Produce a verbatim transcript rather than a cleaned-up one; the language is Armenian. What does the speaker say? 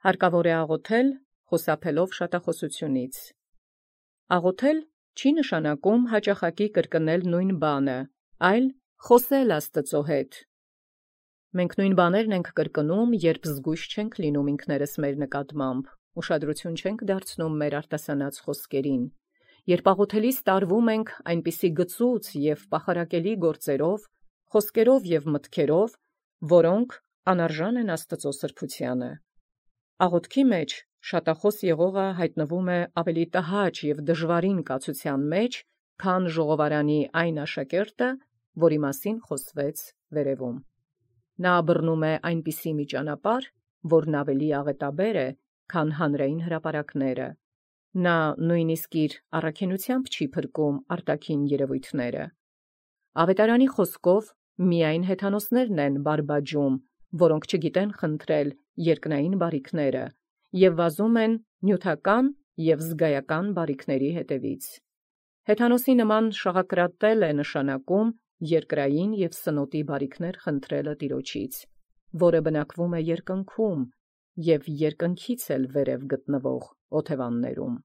Հարկավոր է աղոթել խուսափելով շատախոսությունից։ Աղոթել չի նշանակում հաճախակի կրկնել նույն բանը, այլ խոսել Աստծո հետ։ Մենք նույն բաներն ենք կրկնում, երբ զգույշ չենք լինում ինքներս մեր նկատմամբ, ուշադրություն չենք դարձնում մեր արտասանած խոսքերին, երբ աղոթելիս տարվում ենք այնպիսի գծուծ և պախարակելի գործերով, խոսքերով և մտքերով, որոնք անարժան են Աստծո սրբությանը։ Աղոթքի մեջ շատախոս եղողը հայտնվում է ավելի տհաճ և դժվարին կացության մեջ, քան ժողովարանի այն աշակերտը, որի մասին խոսվեց վերևում։ Նա բռնում է այնպիսի մի ճանապարհ, որն ավելի աղետաբեր է, քան հանրային հրապարակները։ Նա նույնիսկ իր առաքինությամբ չի փրկում արտաքին երևույթները։ Ավետարանի խոսքով միայն հեթանոսներն են բարբաջում, որոնք չգիտեն խնդրել երկնային բարիքները և վազում են նյութական և զգայական բարիքների հետևից։ Հեթանոսի նման շաղակրատել է նշանակում երկրային և սնոտի բարիքներ խնդրելը Տիրոջից, որը բնակվում է երկնքում և երկնքից էլ վերև գտնվող օթևաններում։